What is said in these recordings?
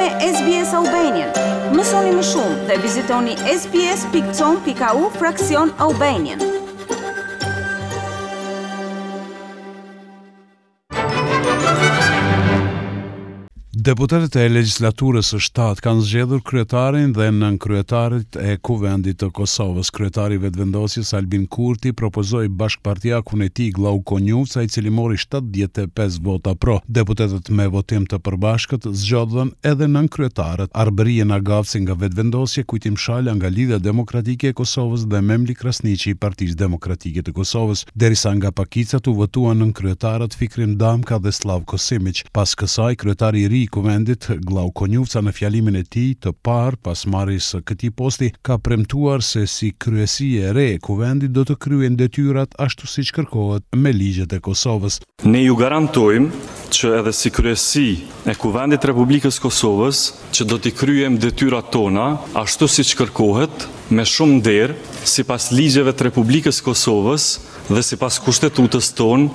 me SBS Albanian. Mësoni më shumë dhe vizitoni sbs.com.au fraksion Albanian. Deputetët e legjislaturës së shtatë kanë zgjedhur kryetarin dhe nënkryetarët e Kuvendit të Kosovës. Kryetari i Vetëvendosjes, Albin Kurti, propozoi bashkëpartiakun e tij, Glauk Konjufca, i cili mori 75 vota pro. Deputetët me votim të përbashkët zgjodhën edhe nënkryetarët, Arbërie Nagavci nga Vetëvendosje, Kujtim Shala nga Lidhja Demokratike e Kosovës dhe Memli Krasniqi i Partisë Demokratike të Kosovës. Derisa nga pakicat u votuan nënkryetarët Fikrim Damka dhe Slavko Simiq. Pas kësaj, kryetari i ri i Kuvendit, Glauk Konjufca në fjalimin e tij të parë pas marrjes së këtij posti, ka premtuar se si kryesi e re e Kuvendit do të kryejnë detyrat ashtu siç kërkohet me ligjet e Kosovës. Ne ju garantojmë që edhe si kryesi e Kuvendit të Republikës së Kosovës që do t'i kryejmë detyrat tona ashtu siç kërkohet, me shumë nder, sipas ligjeve të Republikës së Kosovës dhe sipas Kushtetutës tonë,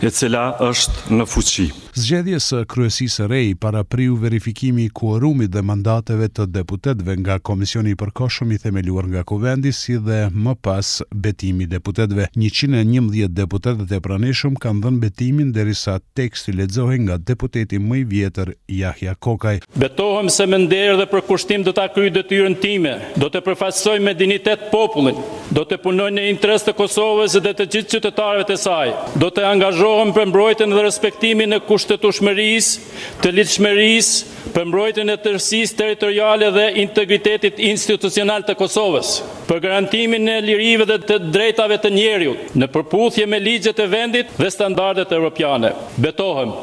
e cila është në fuqi. Zgjedhjes së kryesisë së re i parapriu verifikimi i kuorumit dhe mandateve të deputetëve nga Komisioni i Përkohshëm i themeluar nga Kuvendi si dhe më pas betimi i deputetëve. 111 deputetët e pranishëm kanë dhënë betimin derisa teksti lexohej nga deputeti më i vjetër Jahja Kokaj. Betohem se me nder dhe përkushtim do ta kryej detyrën time, do të përfaqësoj me dinjitet popullin, do të punoj në interes të Kosovës dhe të gjithë qytetarëve të saj, do të angazhohem për mbrojtjen dhe respektimin e kushtetueshmërisë, të ligjshmërisë, për mbrojtjen e tërësisë territoriale dhe integritetit institucional të Kosovës, për garantimin e lirive dhe të drejtave të njeriut, në përputhje me ligjet e vendit dhe standardet evropiane. Betohem.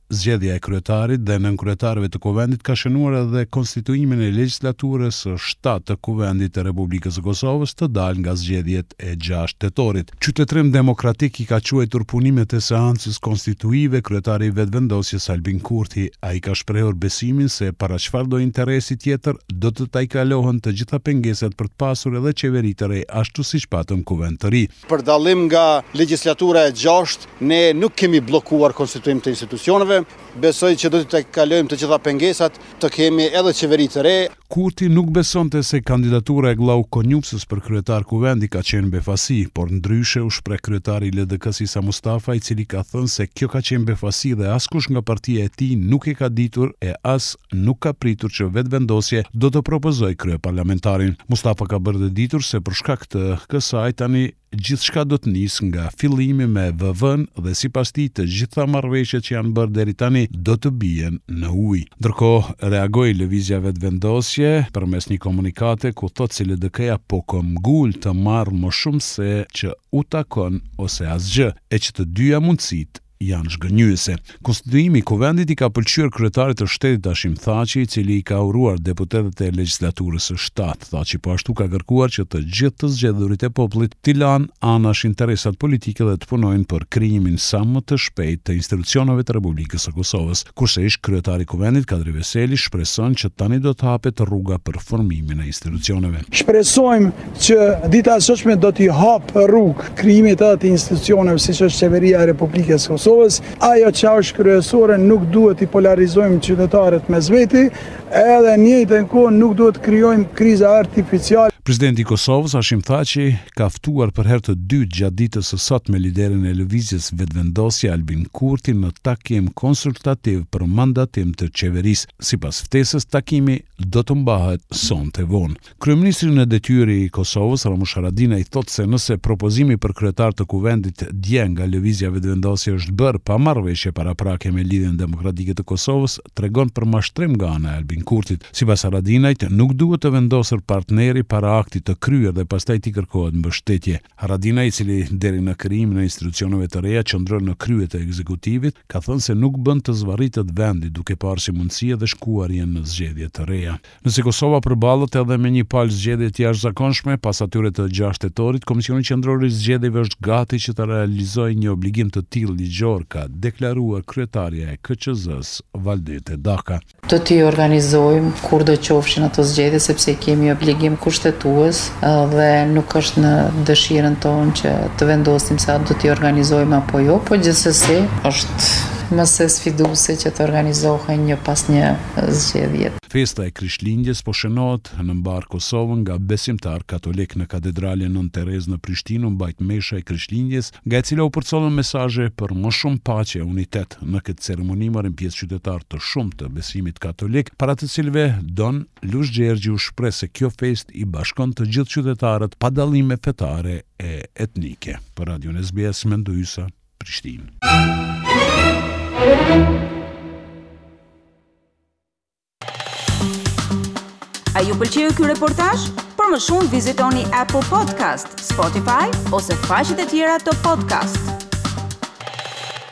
Zgjedhja e kryetarit dhe nënkryetarëve të Kuvendit ka shënuar edhe konstituimin e legjislaturës së shtatë të Kuvendit të Republikës së Kosovës të dalë nga zgjedhjet e gjashtë tetorit. Qytetërim demokratik i ka quajtur punimet e seancës konstituive kryetari i Vetëvendosjes Albin Kurti. Ai ka shprehur besimin se para çfarëdo interesi tjetër do të tejkalohen të gjitha pengesat për të pasur edhe qeveri të re ashtu siç patëm Kuvend të ri. Për dallim nga legjislatura e gjashtë, ne nuk kemi bllokuar konstituim të institucioneve. Besoj që do t'i tejkalojmë të gjitha pengesat, të kemi edhe qeveri të re. Kurti nuk besonte se kandidatura e Glauk Konjufcës për kryetar Kuvendi ka qenë befasi, por ndryshe u shpreh kryetari i LDK-së Isa Mustafa, i cili ka thënë se kjo ka qenë befasi dhe askush nga partia e tij nuk e ka ditur e as nuk ka pritur që Vetëvendosje do të propozojë kryeparlamentarin. Mustafa ka bërë të ditur se për shkak të kësaj tani gjithçka do të nisë nga fillimi me VV-në dhe sipas tij të gjitha marrëveshjet që janë bërë deri tani do të bien në ujë. Ndërkohë, reagoi Lëvizja Vetëvendosje përmes një komunikate ku thotë se LDK-ja po këmbgul të marrë më shumë se që u takon ose asgjë, e që të dyja mundësitë janë zhgënjyese. Konstituimi i Kuvendit i ka pëlqyer kryetarit të shtetit Hashim Thaçi, i cili i ka uruar deputetët e legjislaturës së shtatë. Thaçi po ashtu ka kërkuar që të gjithë të zgjedhurit e popullit t'i lanë anash interesat politike dhe të punojnë për krijimin sa më të shpejtë të institucioneve të Republikës së Kosovës. Kurse ish kryetari i Kuvendit, Kadri Veseli, shpreson që tani do të hapet rruga për formimin e institucioneve. Shpresojmë që dita e sotshme do t'i hapë rrugë krijimit edhe të institucioneve siç është Qeveria e Republikës së Kosovës. Ajo që është kryesore nuk duhet t'i polarizojmë qytetarët mes veti, edhe në njëjtën kohë nuk duhet të krijojmë kriza artificiale. Presidenti i Kosovës, Hashim Thaçi, ka ftuar për herë të dytë gjatë ditës së sotme liderin e Lëvizjes Vetëvendosje, Albin Kurti, në takim konsultativ për mandatim të qeverisë. Sipas ftesës, takimi do të mbahet sonte vonë. Kryeministri në detyrë i Kosovës, Ramush Haradinaj thotë se nëse propozimi për kryetar të Kuvendit dje nga Lëvizja Vetëvendosje është bërë pa marrëveshje paraprake me Lidhjen Demokratike të Kosovës, tregon për mashtrim nga ana e Albin Kurtit. Sipas Haradinajt, nuk duhet të vendosur partneri para aktit të kryer dhe pastaj t'i kërkohet mbështetje. Haradinaj, i cili deri në krijimin e institucioneve të reja qëndron në krye të ekzekutivit, ka thënë se nuk bën të zvarritet vendi duke parë si mundësi edhe shkuarjen në zgjedhje të reja. Nëse Kosova përballet edhe me një palë zgjedhje të jashtëzakonshme, pas atyre të gjashtë tetorit, Komisioni Qendror i Zgjedhjeve është gati që të realizojë një obligim të tillë ligjor, ka deklaruar kryetarja e KQZ-së, Valdete Daka. Do t'i organizojmë kurdo qofshin ato zgjedhje sepse i kemi obligim kushtetues dhe nuk është në dëshirën tonë që të vendosim se a do t'i organizojmë apo jo, po gjithsesi është. më se sfiduese që të organizohen një pas një zgjedhjet. Festa e Krishtlindjes po shënohet në mbarë Kosovën nga besimtarë katolikë. Në Katedralen Nënë Terezë në Prishtinë u mbajt mesha e Krishtlindjes, nga e cila u përcollën mesazhe për më shumë paqe e unitet. Në këtë ceremoni morën pjesë qytetarë të shumtë të besimit katolik, para të cilëve Don Lush Gjergji u shpreh se kjo festë i bashkon të gjithë qytetarët pa dallime fetare e etnike. Për Radion SBS, Mendu Hysa, Prishtinë. A ju pëlqeu ky reportazh? Për më shumë vizitoni Apple Podcast, Spotify ose faqet e tjera të podcast.